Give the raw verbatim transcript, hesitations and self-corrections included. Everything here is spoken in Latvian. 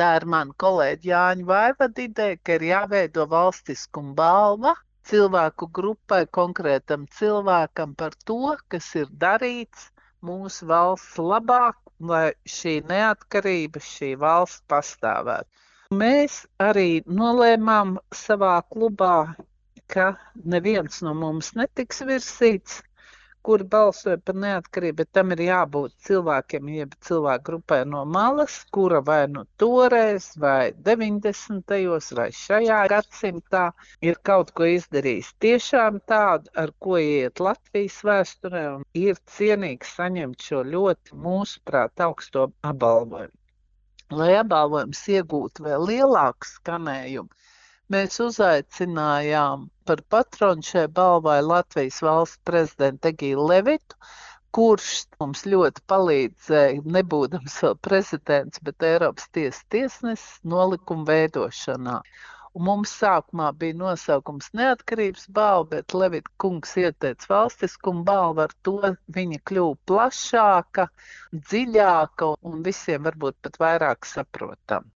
Tā ir mana kolēģa Jāņa Vaivada ideja, ka ir jāveido valstiskuma balva cilvēku grupai, konkrētam cilvēkam par to, kas ir darīts mūsu valsts labāk, lai šī neatkarība, šī valsts pastāvētu. Mēs arī nolēmām savā klubā, ka neviens no mums netiks virsīts, kuri balsoja par neatkarību, bet tam ir jābūt cilvēkiem, jeb cilvēku grupai no malas, kura vai nu toreiz, vai deviņdesmitajos, vai šajā gadsimtā ir kaut ko izdarījis tiešām tādu, ar ko iet Latvijas vēsturē, un ir cienīgs saņemt šo ļoti, mūsuprāt, augsto apbalvojumu. Lai apbalvojums iegūtu vēl lielāku skanējumu, mēs uzaicinājām par patronu šai balvai Latvijas valsts prezidentu Egīlu Levitu, kurš mums ļoti palīdzēja, nebūdams vēl prezidents, bet Eiropas tiesas tiesnesis nolikuma veidošanā. Un mums sākumā bija nosaukums neatkarības balva, bet Levita kungs ieteica valstiskuma balvu, ar to viņa kļuva plašāka, dziļāka un visiem varbūt pat vairāk saprotama.